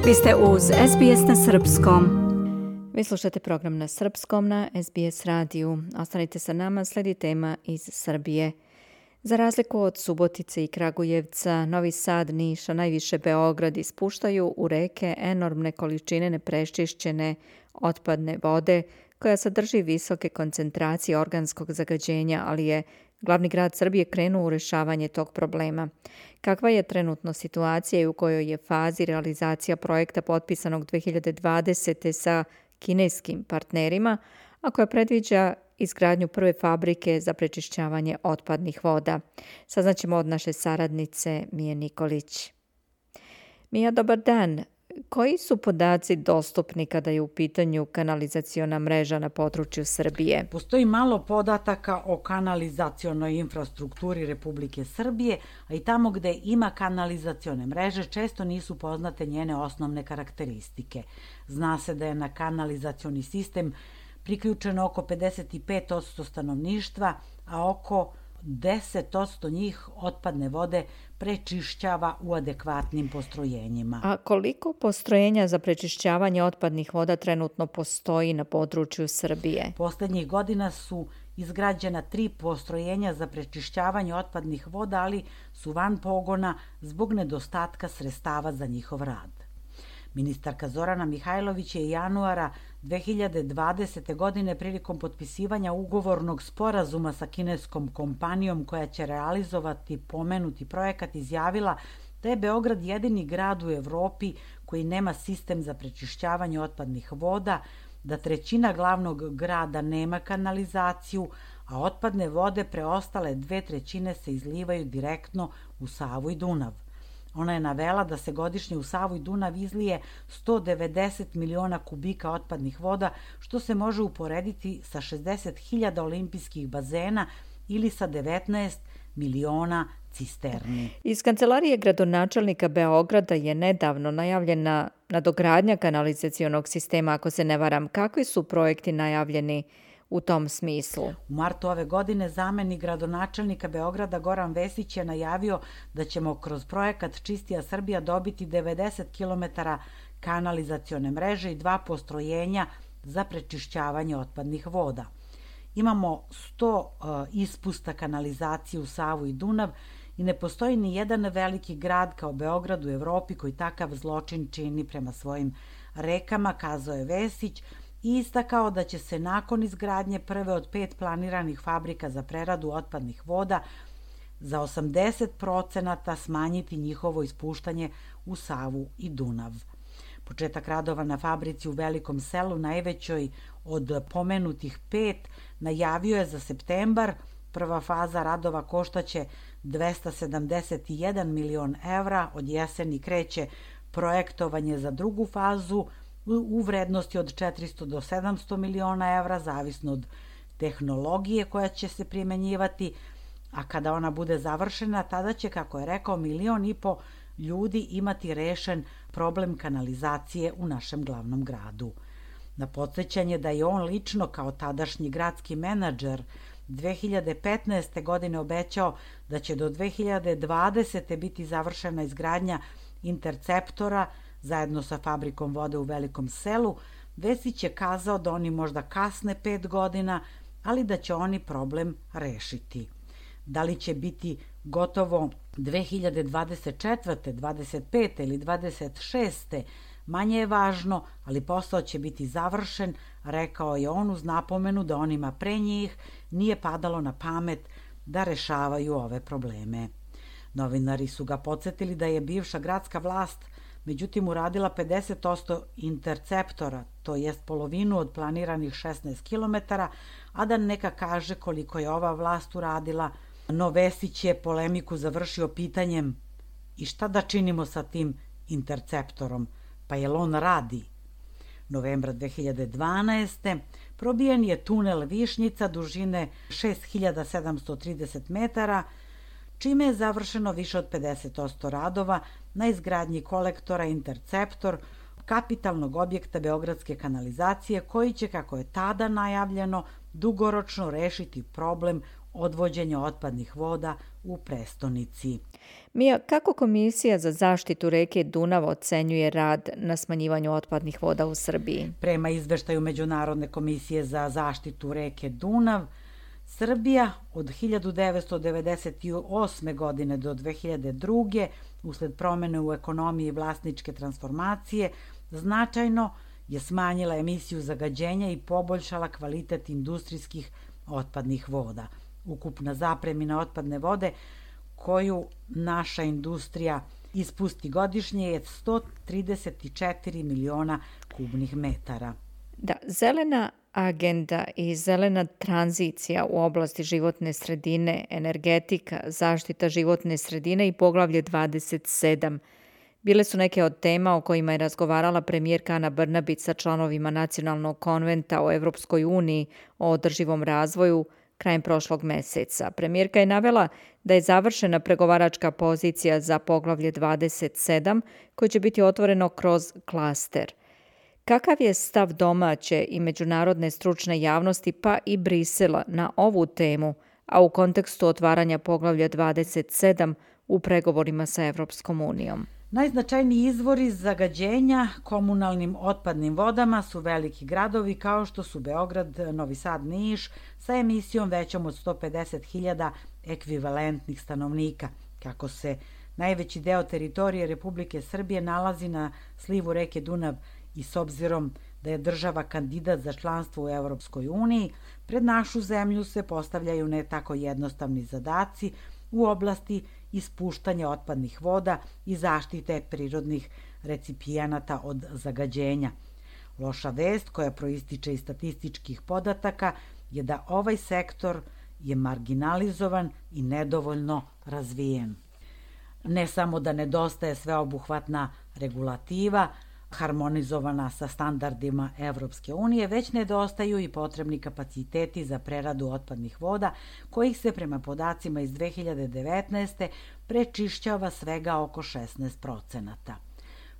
Vi ste uz SBS na Srpskom. Vi slušate program na Srpskom na SBS radiju. Ostanite sa nama, slijedi tema iz Srbije. Za razliku od Subotice i Kragujevca, Novi Sad, Niš, a najviše Beograd ispuštaju u reke enormne količine neprečišćene otpadne vode koja sadrži visoke koncentracije organskog zagađenja, ali je glavni grad Srbije krenuo u rješavanje tog problema. Kakva je trenutno situacija i u kojoj je fazi realizacija projekta potpisanog 2020. sa kineskim partnerima, a koja predviđa izgradnju prve fabrike za prečišćavanje otpadnih voda? Saznaćemo od naše saradnice Mije Nikolić. Mija, dobar dan. Koji su podaci dostupni kada je u pitanju kanalizaciona mreža na području Srbije? Postoji malo podataka o kanalizacionoj infrastrukturi Republike Srbije, a i tamo gde ima kanalizacione mreže često nisu poznate njene osnovne karakteristike. Zna se da je na kanalizacioni sistem priključeno oko 55% stanovništva, a oko 10% njih otpadne vode prečišćava u adekvatnim postrojenjima. A koliko postrojenja za prečišćavanje otpadnih voda trenutno postoji na području Srbije? Poslednjih godina su izgrađena 3 postrojenja za prečišćavanje otpadnih voda, ali su van pogona zbog nedostatka sredstava za njihov rad. Ministarka Zorana Mihajlović je januara 2020. godine prilikom potpisivanja ugovornog sporazuma sa kineskom kompanijom koja će realizovati pomenuti projekat izjavila da je Beograd jedini grad u Evropi koji nema sistem za prečišćavanje otpadnih voda, da trećina glavnog grada nema kanalizaciju, a otpadne vode preostale 2/3 se izlivaju direktno u Savu i Dunav. Ona je navela da se godišnje u Savu i Dunav izlije 190 miliona kubika otpadnih voda, što se može uporediti sa 60.000 olimpijskih bazena ili sa 19 miliona cisterni. Iz kancelarije gradonačelnika Beograda je nedavno najavljena nadogradnja kanalizacionog sistema, ako se ne varam. Kakvi su projekti najavljeni u tom smislu? U martu ove godine zamenik gradonačelnika Beograda Goran Vesić je najavio da ćemo kroz projekat Čistija Srbija dobiti 90 km kanalizacione mreže i 2 postrojenja za prečišćavanje otpadnih voda. Imamo 100 ispusta kanalizacije u Savu i Dunav i ne postoji ni jedan veliki grad kao Beograd u Evropi koji takav zločin čini prema svojim rekama, kazao je Vesić, i istakao da će se nakon izgradnje prve od 5 planiranih fabrika za preradu otpadnih voda za 80% smanjiti njihovo ispuštanje u Savu i Dunav. Početak radova na fabrici u Velikom Selu, najvećoj od pomenutih 5, najavio je za septembar. Prva faza radova koštaće 271 milion evra, od jeseni kreće projektovanje za drugu fazu u vrednosti od 400 do 700 miliona evra, zavisno od tehnologije koja će se primenjivati, a kada ona bude završena, tada će, kako je rekao, 1,5 miliona ljudi imati rešen problem kanalizacije u našem glavnom gradu. Na podsjećanje da je on lično kao tadašnji gradski menadžer 2015. godine obećao da će do 2020. biti završena izgradnja interceptora zajedno sa fabrikom vode u Velikom Selu, Vesić je kazao da oni možda kasne 5 godina, ali da će oni problem rešiti. Da li će biti gotovo 2024., 25. ili 26. manje je važno, ali posao će biti završen, rekao je on uz napomenu da onima pre njih nije padalo na pamet da rešavaju ove probleme. Novinari su ga podsjetili da je bivša gradska vlast međutim uradila 50% interceptora, to jest polovinu od planiranih 16 km, a da neka kaže koliko je ova vlast uradila. No Vesić je polemiku završio pitanjem: i šta da činimo sa tim interceptorom, pa jel on radi? Novembra 2012. probijen je tunel Višnjica dužine 6730 metara, čime je završeno više od 50% radova na izgradnji kolektora Interceptor, kapitalnog objekta Beogradske kanalizacije, koji će, kako je tada najavljeno, dugoročno rešiti problem odvođenja otpadnih voda u prestonici. Mija, kako Komisija za zaštitu reke Dunav ocenjuje rad na smanjivanju otpadnih voda u Srbiji? Prema izveštaju Međunarodne komisije za zaštitu reke Dunav, Srbija od 1998. godine do 2002. usled promene u ekonomiji i vlasničke transformacije značajno je smanjila emisiju zagađenja i poboljšala kvalitet industrijskih otpadnih voda. Ukupna zapremina otpadne vode koju naša industrija ispusti godišnje je 134 miliona kubnih metara. Da, zelena agenda i zelena tranzicija u oblasti životne sredine, energetika, zaštita životne sredine i poglavlje 27 bile su neke od tema o kojima je razgovarala premijerka Ana Brnabić sa članovima Nacionalnog konventa o Evropskoj uniji o održivom razvoju krajem prošlog meseca. Premijerka je navela da je završena pregovaračka pozicija za poglavlje 27 koje će biti otvoreno kroz klaster. Kakav je stav domaće i međunarodne stručne javnosti pa i Brisela na ovu temu, a u kontekstu otvaranja poglavlja 27 u pregovorima sa Evropskom unijom? Najznačajniji izvori zagađenja komunalnim otpadnim vodama su veliki gradovi kao što su Beograd, Novi Sad, Niš sa emisijom većom od 150.000 ekvivalentnih stanovnika. Kako se najveći deo teritorije Republike Srbije nalazi na slivu reke Dunav i s obzirom da je država kandidat za članstvo u Evropskoj uniji, pred našu zemlju se postavljaju ne tako jednostavni zadaci u oblasti ispuštanja otpadnih voda i zaštite prirodnih recipijenata od zagađenja. Loša vest koja proističe iz statističkih podataka je da ovaj sektor je marginalizovan i nedovoljno razvijen. Ne samo da nedostaje sveobuhvatna regulativa, harmonizovana sa standardima Evropske unije, već nedostaju i potrebni kapaciteti za preradu otpadnih voda, kojih se prema podacima iz 2019. prečišćava svega oko 16%.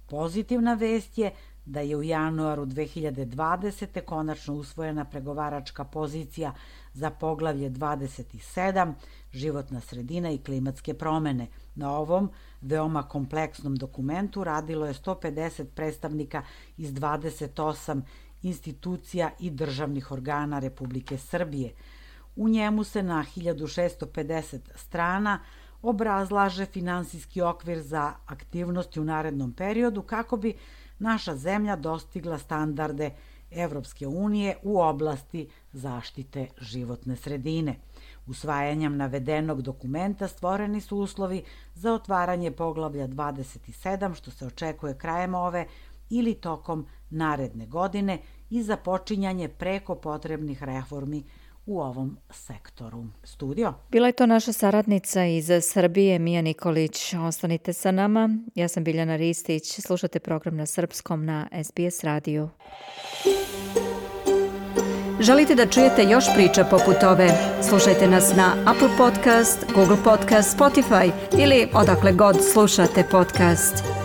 Pozitivna vest je da je u januaru 2020. konačno usvojena pregovaračka pozicija za poglavlje 27, životna sredina i klimatske promene. Na ovom veoma kompleksnom dokumentu radilo je 150 predstavnika iz 28 institucija i državnih organa Republike Srbije. U njemu se na 1650 strana obrazlaže finansijski okvir za aktivnosti u narednom periodu kako bi naša zemlja dostigla standarde Evropske unije u oblasti zaštite životne sredine. Usvajanjem navedenog dokumenta stvoreni su uslovi za otvaranje poglavlja 27, što se očekuje krajem ove ili tokom naredne godine i započinjanje preko potrebnih reformi u ovom sektoru. Studio. Bila je to naša saradnica iz Srbije, Mija Nikolić. Ostanite sa nama. Ja sam Biljana Ristić. Slušate program na srpskom na SBS radiju. Želite da čujete još priča poput ove? Slušajte nas na Apple Podcast, Google Podcast, Spotify ili odakle god slušate podcast.